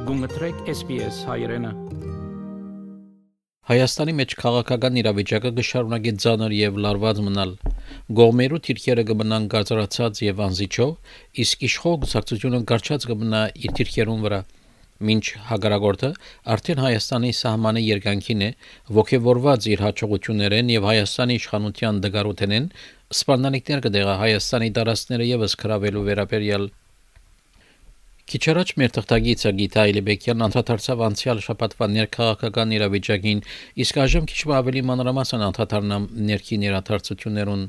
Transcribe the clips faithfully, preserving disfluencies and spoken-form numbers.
Գունգտրեք S B S հայրենը։ Հայաստանի մեջ քաղաքական իրավիճակը կշարունակի ծանր եւ լարված մնալ։ Գողմերու թիրքերը կմնան գարծարացած եւ անզիջով, իսկ իշխող գուսակցությունը գարչած կմնա իր թիրքերուն վրա։ Մինչ հագարագորտը արդեն Հայաստանի սահմանի երկանքին է, ողջևորված իր հաջողություններեն եւ Հայաստանի իշխանության դգարութենեն, սպառնալիքներ կդեղա Հայաստանի տարածքները եւս քրավելու վերաբերյալ։ Քիչ առաջ մեր թղթագիծը Գիտա Այլիբեկյանն անդրադարձավ անցյալ շաբաթվա ներքաղաքական իրավիճակին, իսկ այժմ քիչ ավելի մանրամասն անդրադառնամ ներքին իրադարձություններուն։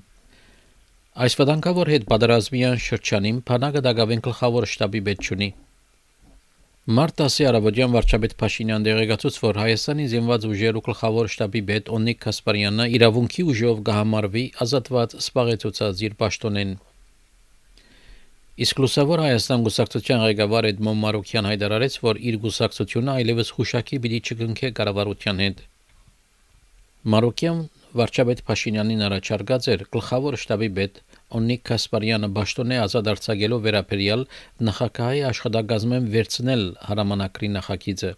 Այս վտանգավոր հետ պատերազմյան շրջանին բանակը դակավեն գլխավոր շտաբի պետք չունի։ Մարտ տասի առավոտյան վարչապետ Փաշինյան դեղեկացուց, որ Հայաստանի զինված ուժերու գլխավոր շտաբի պետ Օնիկ Կասպարյանը իրավունքի ուժով կհամարվի ազատված սպաղեցուցած իր պաշտոնեն։ Իսկ լուսավոր Հայաստան գուսակցության ղեկավար Էդմոն Մարուկյան հայտարարեց, որ իր գուսակցությունը այլևս հուշակի պիտի չկնքե կառավարության հետ։ Մարուկյան վարչապետ Փաշինյանին առաջարկած էր գլխավոր շտաբի պետ Օնիկ Կասպարյանը պաշտոնե ազատ արձակելով վերաբերյալ նախագահի աշխատակազմեն վերցնել հրամանակրի նախագիծը։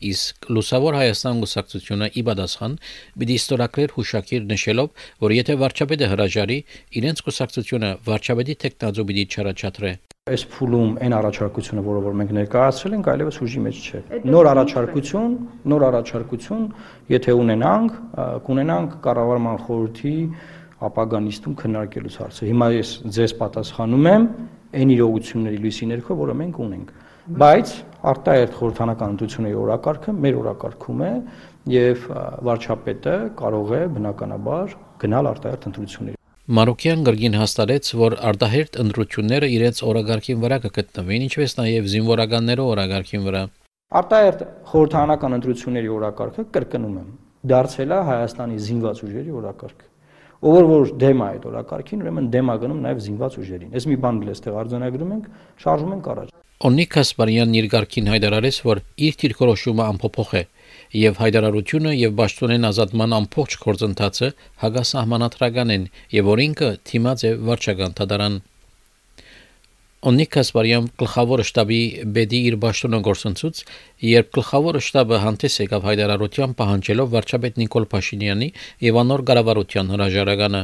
Իսկ լուսավոր Հայաստան գուսակցությունը ի պատասխան պիտի ստորագրեր հուշակիր նշելով, որ եթե վարչապետը հրաժարի, իրենց գուսակցությունը վարչապետի տեխնազու պիտի չառաջադրե։ Այս փուլում այն առաջարկությունը, որը որ մենք ներկայացրել ենք, այլևս ուժի մեջ չէ։ Նոր առաջարկություն, նոր առաջարկություն, եթե ունենանք, կունենանք կառավարման խորհրդի ապագա նիստում քննարկելուց հարցը։ Հիմա ես ձեզ պատասխանում եմ այն իրողությունների լույսի ներքո, որը մենք ունենք։ Բայց արտահերթ խորհրդանական ընտրությունների օրակարգը մեր օրակարգում է եւ վարչապետը կարող է բնականաբար գնալ արտահերթ ընտրությունների։ Մարուկյան գրգին հաստատեց, որ արտահերթ ընտրությունները իրենց օրակարգին վրա կգտնվեն, ինչպես նաեւ զինվորականներու օրակարգին վրա։ Արտահերթ խորհրդանական ընտրությունների օրակարգը կրկնում եմ, դարձել է Հայաստանի զինված ուժերի օրակարգ։ Ով որ դեմ է այդ օրակարգին, ուրեմն դեմ է գնում նաեւ զինված ուժերին։ Այս մի բան էլ էստեղ արձանագրում ենք, շարժում ենք առաջ։ Օնիկ Կասպարյանն իր ղարքին հայտարարեց, որ իր դիրքորոշումը անփոփոխ է եւ հայտարարությունը եւ պաշտոնեն ազատման ամբողջ գործընթացը հագասահմանադրական են եւ որ ինքը թիմած է վարչական դատարան։ Օնիկ Կասպարյան գլխավոր շտաբի բեդի իր պաշտոնը գործընծուց, երբ գլխավոր շտաբը հանդես եկավ հայտարարության պահանջելով վարչապետ Նիկոլ Փաշինյանի եւ անոր կառավարության հրաժարականը։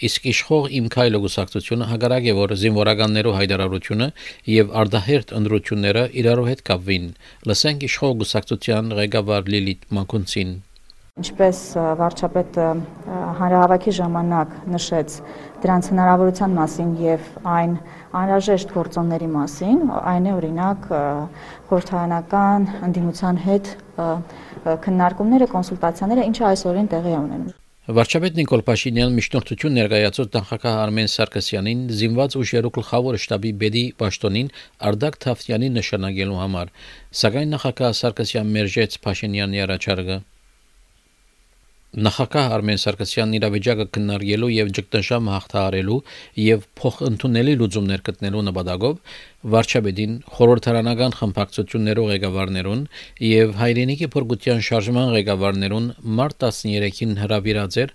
Իսկ իշխող Իմ Քայլը գուսակցությունը հակառակ է, որ զինվորականներու հայտարարությունը եւ արտահերթ ընտրությունները իրարու հետ կապվին։ Լսենք իշխող գուսակցության ղեկավար Լիլիթ Մակունցին։ Ինչպես վարչապետը հանրահավաքի ժամանակ նշեց դրանց հնարավորության մասին եւ այն անհրաժեշտ գործոնների մասին, այն է օրինակ խորհրդարանական ընդդիմության հետ քննարկումները, կոնսուլտացիաները, ինչը այսօրին տեղի է ունենում։ Վարչապետ Նիկոլ Փաշինյան միջնորդություն ներկայացրեց նախագահ Արմեն Սարգսյանին զինված ուժերու գլխավոր շտաբի բեդի պաշտոնին Արդակ Թավթյանի նշանակելու համար, սակայն նախագահ Սարգսյան մերժեց Փաշինյանի առաջարկը։ Նախագահ Արմեն Սարգսյանն իրավիճակը քննարկելու եւ ճգնաժամ հաղթահարելու եւ փոխընդունելի լուծումներ գտնելու նպատակով վարչապետին խորհրդարանական խմբակցություններու ղեկավարներուն եւ հայրենիքի փորգության շարժման ղեկավարներուն մարտ տասներեքին հրավիրած էր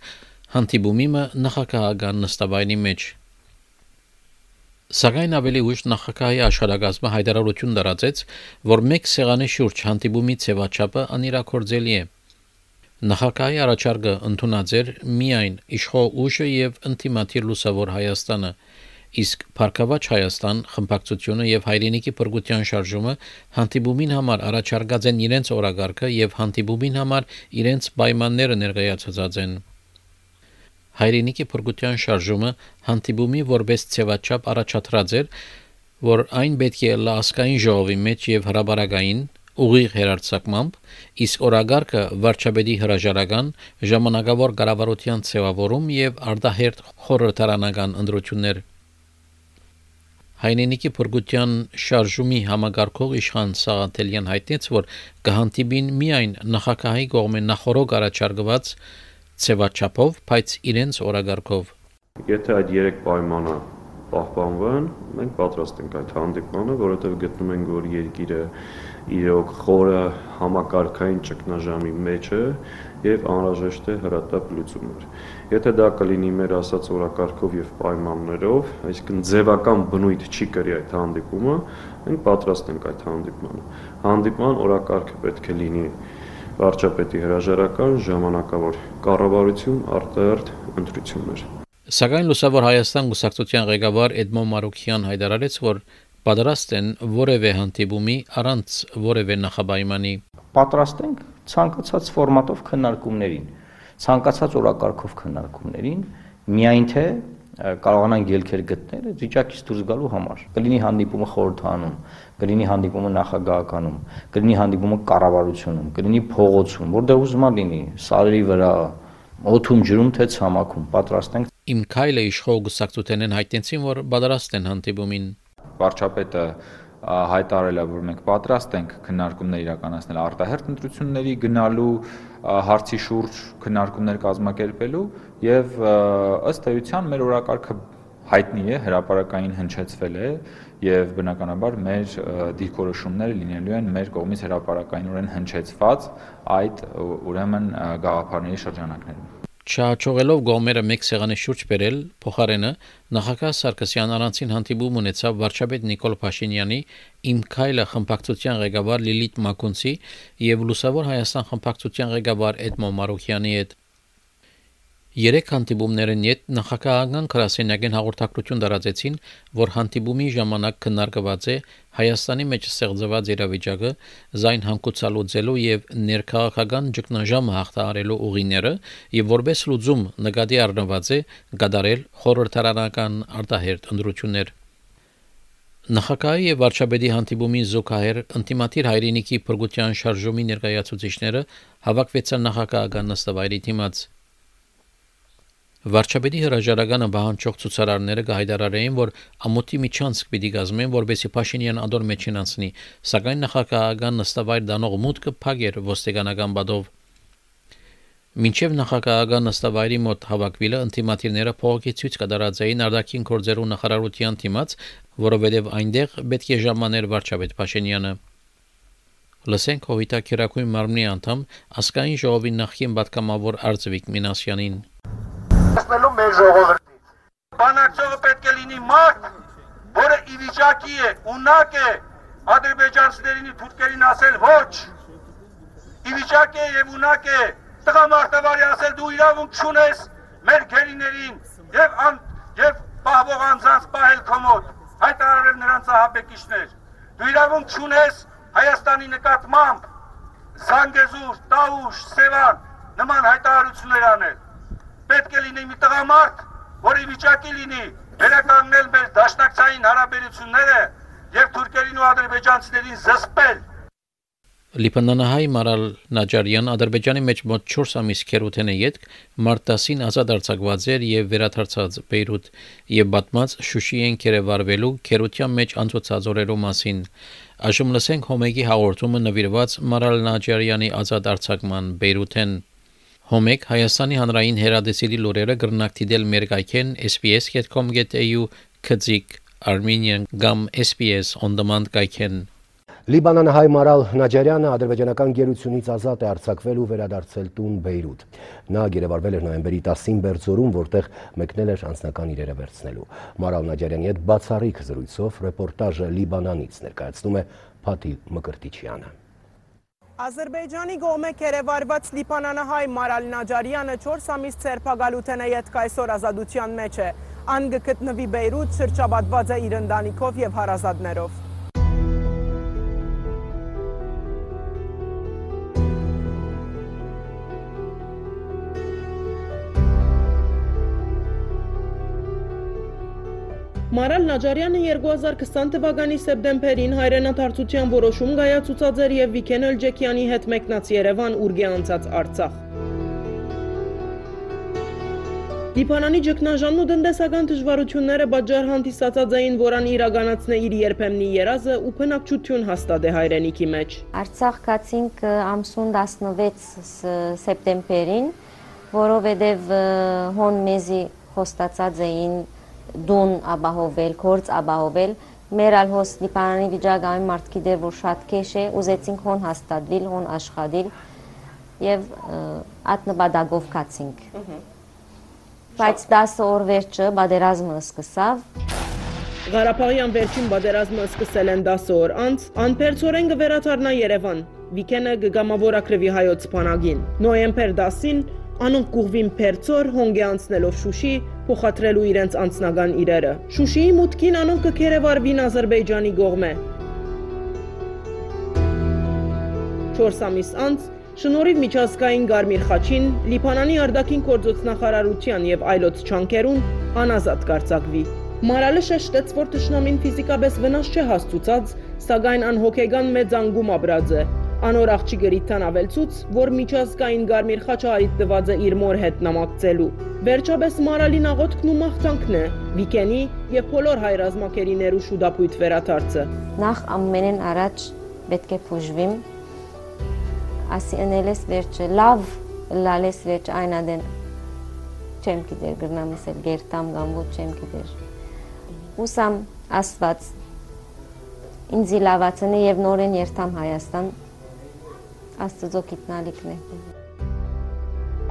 հանդիպումի նախագահական նստավայրի մեջ։ Սակայն ավելի ուշ նախագահի աշխատակազմը հայտարարություն տարածեց, որ մեկ սեղանի շուրջ հանդիպումի ձևաչափը անիրաքորձելի է։ Նախագահի առաջարկը ընդունած էր միայն իշխող ուժը եւ ինտիմատիր լուսավոր Հայաստանը, իսկ Փառքավաճ Հայաստան խմբակցությունը եւ հայրենիքի փրկության շարժումը հանդիպումին համար առաջարկած են իրենց օրակարգը եւ հանդիպումին համար իրենց պայմանները ներկայացած են։ Հայրենիքի փրկության շարժումը հանդիպումի որպես ձևաչափ առաջադրած էր, որ այն պետք է լասկային ժողովի մեջ եւ հրաբարակային ուղիղ հերարցակմամբ, իսկ օրագարկը վարչապետի հրաժարական ժամանակավոր կառավարության ձևավորում եւ արտահերթ խորհրդարանական ընտրություններ։ Հայրենիքի փրկության շարժումի համագարկող իշխան Սաղաթելյան հայտնեց, որ կհանդիպին միայն նախագահի կողմեն նախորոք առաջարկված ձևաչափով, բայց իրենց օրագարկով։ Եթե այդ երեք պայմանը պահպանվեն, մենք պատրաստ ենք այդ հանդիպմանը, որովհետև գտնում ենք, որ երկիրը իրոք խորը համակարգային ճգնաժամի մեջ է եւ անհրաժեշտ է հրատապ լուծումներ։ Եթե դա կլինի մեր ասած օրակարգով եւ պայմաններով, այսինքն ձևական բնույթ չի կրի այդ հանդիպումը, մենք պատրաստ ենք այդ հանդիպմանը։ Հանդիպման օրակարգը պետք է լինի վարչապետի հրաժարական, ժամանակավոր կառավարություն, արտահերթ ընտրություններ։ Սակայն Լուսավոր Հայաստան գուսակցության ղեկավար Էդմոն Մարուքյան հայտարարեց, որ պատրաստ են որևէ հանդիպումի առանց որևէ նախապայմանի։ Պատրաստ ենք ցանկացած ֆորմատով քննարկումներին, ցանկացած օրակարգով քննարկումներին, միայն թե կարողանանք ելքեր գտնել վիճակից դուրս գալու համար։ Կլինի հանդիպումը խորհրդանում, կլինի հանդիպումը նախագահականում, կլինի հանդիպումը կառավարությունում, կլինի փողոցում, որտեղ ուզում լինի, սարերի վրա, օդում ջրում թե ցամաքում, պատրաստ ենք։ Իմ քայլը իշխող գուսակցութենեն հայտնեցին, որ պատրաստ են հանդիպումին։ Վարչապետը հայտարարել է, որ մենք պատրաստ ենք քննարկումներ իրականացնել արտահերթ ընտրությունների գնալու հարցի շուրջ քննարկումներ կազմակերպելու եւ ըստ էության մեր օրակարգը հայտնի է, հրապարակային հնչեցվել է եւ բնականաբար մեր դիրքորոշումները լինելու են մեր կողմից հրապարակայինորեն հնչեցված այդ ուրեմն գաղափարների շրջանակներում։ Չհաջողելով գոմերը մեկ սեղանի շուրջ բերել, փոխարենը նախագահ Սարգսյան առանցին հանդիպում ունեցավ վարչապետ Նիկոլ Փաշինյանի, Իմ քայլը խմբակցության ղեկավար Լիլիթ Մակունցի եւ Լուսավոր Հայաստան խմբակցության ղեկավար Էդմոն Մարուքյանի հետ։ Երեք հանդիպումներն յետ նախագահական գրասենյակին հաղորդակցություն տարածեցին, որ հանդիպումի ժամանակ քննարկված է Հայաստանի մեջ ստեղծված իրավիճակը, զայն հանգուցալուծելու եւ ներքաղաքական ճգնաժամը հաղթահարելու ուղիները եւ որպես լուծում նկատի առնված է գդարել խորհրդարանական արտահերթ ընտրություններ։ Նախագահի եւ վարչապետի հանդիպումի զուգահեռ ինտիմատիր հայրենիքի փրկության շարժումի ներկայացուցիչները հավաքվեցան նախագահական նստավայրի դիմաց։ Վարչապետի հրաժարականը բանջող ցուցարարները կհայտարարեին, որ ամոթի միջանցք պիտի կազմեն, որպեսզի Փաշինյան ադոր մեջին անցնի, սակայն նախագահական նստավայր դանող մուտքը փակ էր ոստիկանական բադով։ Մինչև նախագահական նստավայրի մոտ հավաքվելը ինտիմատիրները փողոքի ցույց կդարածային արտաքին գործերու նախարարության դիմաց, որովհետև այնտեղ պետք է ժամաներ վարչապետ Փաշինյանը։ Լսենք Հովիտակերակույն մարմնի անդամ ազգային ժողովի նախկին պատգամավոր Արծվիկ Մինասյանին։ Հասնելու մեր ժողովրդից։ Բանակցողը պետք է լինի մարդ, որը ի վիճակի է, ունակ է ադրբեջանցիներին ու թուրքերին ասել ոչ։ Ի վիճակի է եւ ունակ է տղամարդավարի ասել դու իրավունք չունես մեր գերիներին եւ եւ պահվող անձանց պահել քո մոտ, հայտարարել նրանց ահաբեկիչներ։ Դու իրավունք չունես Հայաստանի նկատմամբ Զանգեզուր, Տավուշ, Սևան նման հայտարարություններ անել։ Պետք է լինի մի տղամարդ, որի վիճակի լինի վերականգնել մեր դաշնակցային հարաբերությունները եւ թուրքերին ու ադրբեջանցիներին զսպել։ Լիբանանահայ Մարալ Նաջարյան Ադրբեջանի մեջ մոտ չորս ամիս քերութեն է յետք մարտասին ազատ արձակված էր եւ վերադարձած Բեյրութ եւ բատմած Շուշիեն կերևարվելու քերության մեջ անցուցած օրերու մասին։ Այժմ լսենք Հոմեգի հաղորդումը նվիրված Մարալ Նաջարյանի ազատ արձակման Բեյրութեն։ Հոմեգ Հայաստանի հանրային հերադեսիլի լուրերը գրնակտիդել մեր գայքեն S B S dot com dot A U քծիկ Armenian gam S B S on demand գայքեն։ Լիբանանահայ Մարալ Նաջարյանը ադրբեջանական գերությունից ազատ է արձակվել ու վերադարձել տուն Բեյրութ։ Նա գերեվարվել էր նոյեմբերի տասին Բերձորում, որտեղ մեկնել էր անձնական իրերը վերցնելու։ Մարալ Նաջարյանի հետ բացառիկ զրույցով ռեպորտաժը Լիբանանից ներկայացնում է Փաթի Մկրտիչյանը։ Ադրբեջանի գոմե կերևարված լիբանանահայ Մարալ Նաջարյանը չորս ամիս ցերպագալութեն է յետք այսօր ազատության մեջ է։ Ան գտնվի Բեյրութ, շրջապատված է իր ընտանիքով եւ հարազատներով։ Մարալ Նաջարյանը երկու հազար քսան թվականի սեպտեմբերին հայրենադարձության որոշում կայացուցած էր եւ Վիգեն Էլջեքյանի հետ մեկնած Երևան, ուր անցած Արցախ։ Լիբանանի ճգնաժամն ու տնտեսական դժվարությունները պատճառ հանդիսացած էին, որան իրականացնե իր երբեմնի երազը ու բնակչություն հաստատե հայրենիքի մեջ։ Արցախ գացինք ամսուն տասնվեց սեպտեմբերին, որովհետև հոն մեզի խոստացած էին դուն ապահովել, գործ ապահովել, մեր ալ հոս Լիբանանի վիճակային մարդկի դեր որ շատ քեշ է, ուզեցինք հոն հաստատվել, հոն աշխատել եւ այդ նպատակով կացինք։ Բայց դասը օր վերջը բادرազմը սկսավ։ Ղարաբաղյան վերջին բادرազմը սկսել են դասը օր անց, անփերձորեն կվերաթարնա Երևան, Վիկենը գգամավորակրվի հայոց բանակին։ Նոյեմբեր դասին անոնք կուղվին փերձոր հոնգե անցնելով Շուշի, փոխադրելու իրենց անձնական իրերը։ Շուշիի մուտքին անոնք կքերևարվին Ադրբեջանի կողմէ։ չորս ամիս անց շնորհիվ միջազգային Գարմիր խաչին Լիբանանի արտաքին գործոստնախարարության եւ այլոց չանկերուն անազատ կարձակվի։ Մարալը շեշտեց, որ թշնամին ֆիզիկապես վնաս չէ հասցուցած, սակայն անհոգեգան մեծ անգում ապրած է։ Անոր աղջիկը ավելցուց, որ միջազգային Գարմիր խաչը արիտ տված է իր մոր հետ նամակցելու։ Վերջապես Մարալին աղոթքն ու մաղթանքն է, Վիկենի եւ բոլոր հայ ռազմակերիներու շուտապույտ վերադարձը։ Նախ ամենեն առաջ պետք է փուժվիմ, ասի ընելես վերջը, լավ լալես վերջ այնադեն չեմ գիտեր գրնամս էլ գերտամ կամ ոչ չեմ գիտեր։ Ուսամ Աստված ինձի լավացնի եւ նորեն երթամ Հայաստան, Աստծո գիտնալիքն է։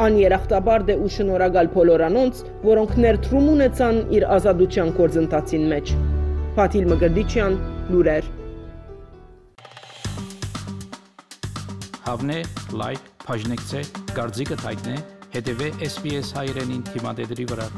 Աներախտաբար դե ու շնորհակալ բոլոր անոնց, որոնք ներդրում ունեցան իր ազատության գործընթացին մեջ։ Ֆաթիլ Մկրտիչյան, լուրեր։ Հավնե, լայք, բաժնեկցե, դարձիկը թայտնե, հետևե S B S հայրենին թիմադեդրի վրա։